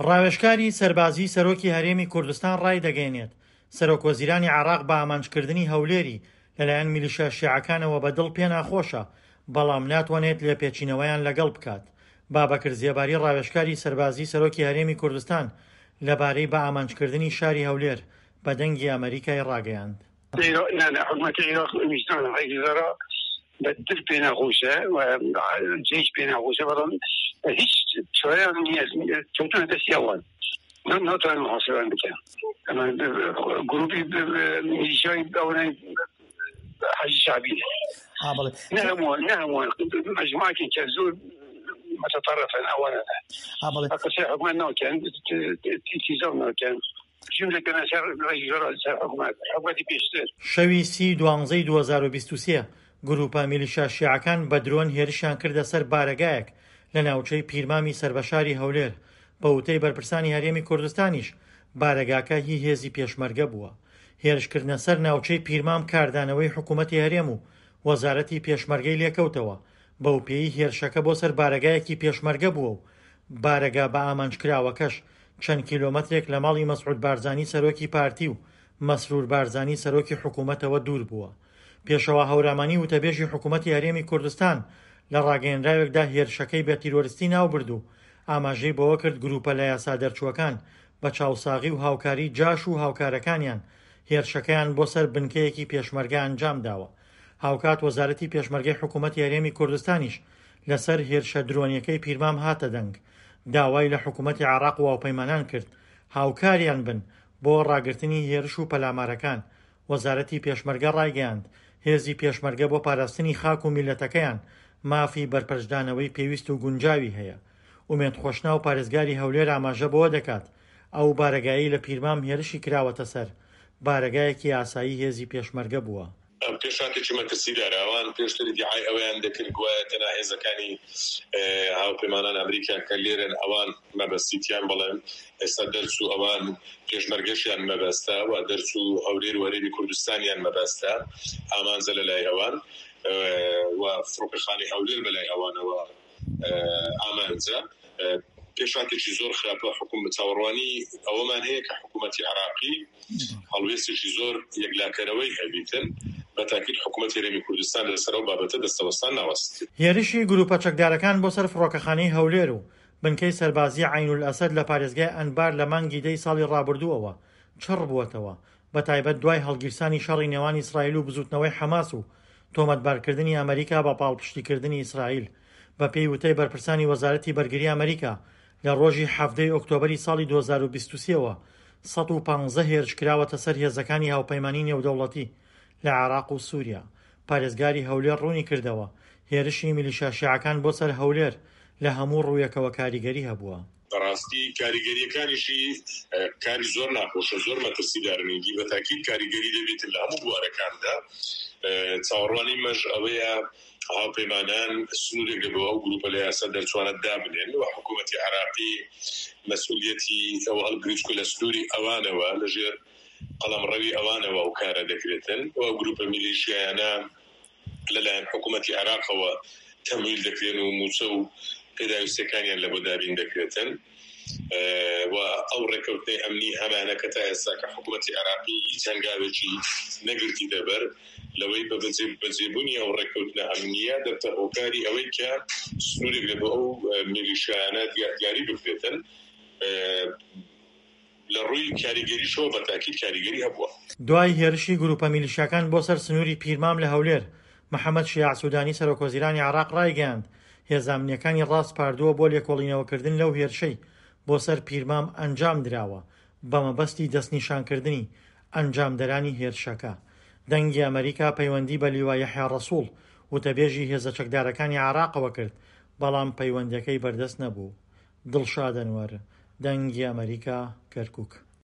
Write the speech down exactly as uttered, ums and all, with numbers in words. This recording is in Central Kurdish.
ڕاوێژکاری سەربازی سەرۆکی هەرێمی کوردستان ڕایدەگەیەنێت، سەرۆکوەزیرانی عێراق بە ئامانجکردنی هەولێری لەلایەن میلیشیا شیعەکانەوە بە دڵ پێناخۆشە، بەڵام ناتوانێت لێپێچینەوەیان لەگەڵ بکات. بابەکر زێباری ڕاوێژکاری سەربازی سەرۆکی هەرێمی کوردستان لەبارەی بە ئامانجکردنی شاری هەولێر بە دەنگی ئەمەریکای ڕاگەیاند. حکومەتی عێراق ویژدان ڕێگەزارا بە دل پێناخۆشە و جێش پێناخۆشە، بەڵام هیچ چارەیان نییە، کەوتنە دەستی ئەوان، ناتوانن محاسبەیان بکەن. گروپی میلیشیای ئەوانەی حەشدی شەعبی نە هەمووان، مەجموعەکێک کە زۆر متطرفن ئەوانە قسەی حکومەت ناکەن، ئیلتیزام ناکەن. شەوی سی دوانزەی دوو هەزار و بیست و سێ گروپە میلیشیا شیعەکان بە درۆن هێرشیان کردە سەر بارەگایەک لە ناوچەی پیرمامی سەر بە شاری هەولێر. بە وتەی بەرپرسانی هەرێمی کوردستانیش بارەگاکە هی هێزی پێشمەرگە بووە. هێرشکردنە سەر ناوچەی پیرمام کاردانەوەی حکوومەتی هەرێم و وەزارەتی پێشمەرگەی لێکەوتەوە، بەو پێی هێرشەکە بۆ سەر بارەگایەکی پێشمەرگە بووە و بارەگا بە ئامانجکراوەکەش چەند کیلۆمەترێک لە ماڵی مەسعود بارزانی سەرۆکی پارتی و مەسرور بارزانی سەرۆکی حکوومەتەوە دوور بووە. پێشەوا هەورامانی وتەبێژی حکوومەتی هەرێمی کوردستان لە ڕاگەیەنراوێکدا هێرشەکەی بە تیرۆریستی ناوبرد و ئاماژەی بەوە کرد گروپە لە یاسا دەرچووەکان بە چاوساغی و هاوکاری جاش و هاوکارەکانیان هێرشەکەیان بۆ سەر بنکەیەکی پێشمەرگە ئەنجام داوە. هاوکات وەزارەتی پێشمەرگەی حکوومەتی هەرێمی کوردستانیش لەسەر هێرشە درۆنیەکەی پیرمام هاتە دەنگ، داوای لە حکوومەتی عێراق و هاوپەیمانان کرد هاوکاریان بن بۆ ڕاگرتنی هێرش و پەلامارەکان. وەزارەتی پێشمەرگە ڕایگەیاند هێزی پێشمەرگە بۆ پاراستنی خاک و میللەتەکەیان مافی بەرپەرچدانەوەی پێویست و گونجاوی هەیە. ئومێد خۆشناو پارێزگاری هەولێر ئاماژە بەوە دەکات ئەو بارەگایی لە پیرمام هێرشی کراوەتە سەر بارەگایەکی ئاسایی هێزی پێشمەرگە بووە. پێشاتێکی مەترسیدارە. ئەوان پێشتر ئیدعای ئەوەیان دەکرد گوایە تەنها هێزەکانی هاوپەیمانان ئەمریکا کە لێرن ئەوان مەبەستیتیان، بەڵێن ئێستا دەرچوو ئەوان پێشمەرگەشیان مەبەستە و دەرچوو هەولێر و هەرێمی کوردستانیان مەبەستە، ئامانجە لەلای ئەوان و فڕۆکەخانەی هەولێر بەلای ئەوانەوە ئامانجە. پێشاتێکی زۆر خراپە. حکوم چاوەڕوانی ئەوەمان هەیە کە حکوومەتی عێراقی هەڵوێستێکی زۆر یەکلاکەرەوەی هەبیتن، بە تاکید حکوومەتی هەرێمی کوردستان لەسەر ئەو بابەتە دەستەوەستان ناوەست. هێرشی گروپە چەکدارەکان بۆ سەر فڕۆکەخانەی هەولێر و بنکەی سەربازی عەینولئەسەد لە پارێزگای ئەنبار لە مانگی دەی ساڵی ڕابردووەوە چڕ بووەتەوە، بە تایبەت دوای هەڵگیرسانی شەڕی نێوان ئیسرائیل و بزوتنەوەی حەماس و تۆمەتبارکردنی ئەمریکا بە پاڵپشتیکردنی ئیسرائیل. بە پێی وتەی بەرپرسانی وەزارەتی بەرگری ئەمریکا لە ڕۆژی حەفتەی ئۆکتۆبەری ساڵی دوو هەزار و بیست و سێ وە سەد و پازدە هێرش کراوەتە سەر هێزەکانی هاوپەیمانی نێودەوڵەتی لە عێراق و سووریا. پارێزگاری هەولێر ڕوونی کردەوە هێرشی میلیشیا شیعەکان بۆ سەر هەولێر لە هەموو ڕوویەکەوە کاریگەری هەبووە. بەڕاستی کاریگەریەکانیشی کاری زۆر ناخۆشە، زۆر مەترسیدارنیگی، بە تاکید کاریگەری دەبێت لە هەموو بوارەکاندا. چاوەڕوانی مەش ئەوەیە هاوپەیمانان سنوورێک لە بۆ ئەو گروپە لە یاسا دەرچوانە دابنێن و حکوومەتی عێراقی مەسئولیەتی ئەوە هەڵگریت کە لە سنووری ئەوانەوە لەژێر قەڵەمڕەوی ئەوانەوە ئەو کارە دەکرێتن و ئەو گروپە میلیشیایانە لەلایەن حکوومەتی عێراقەوە تەمویل دەکرێن و موچە و پێداویستیەکانیان لە بۆ دابین دەکرێتن و ئەو ڕێکەوتنەی ئەمنی هەمانە کە تا ئێستا کە حکوومەتی عێراقی هیچ هەنگاوێکی نەگرتیتە بەر لەوەی بە بەجێبوونی ئەو ڕێکەوتنە ئەمنیە دەبتە هۆکاری ئەوەی کە سنوورێک لە بۆ ئەو میلیشیایانە دیاری بکرێتن. لە ڕووی کاریگەریشەوە بە تاکید کاریگەری هەبووە. دوای هێرشی گروپە میلیشیاکان بۆ سەر سنووری پیرمام لە هەولێر، محەممەد شیاع سوودانی سەرۆکوەزیرانی عێراق ڕایگەیاند هێزە ئەمنیەکانی ڕاسپاردووە بۆ لێکۆڵینەوەکردن لەو هێرشەی بۆ سەر پیرمام ئەنجام دراوە بە مەبەستی دەستنیشانکردنی ئەنجامدەرانی هێرشەکە. دەنگی ئەمریکا پەیوەندی بە لیوا یەحیا ڕەسوڵ وتەبێژی هێزە چەکدارەکانی عێراقەوە کرد، بەڵام پەیوەندیەکەی بەردەست نەبوو. دڵشاد ئەنوەر، دەنگی ئەمریکا، کەرکووک.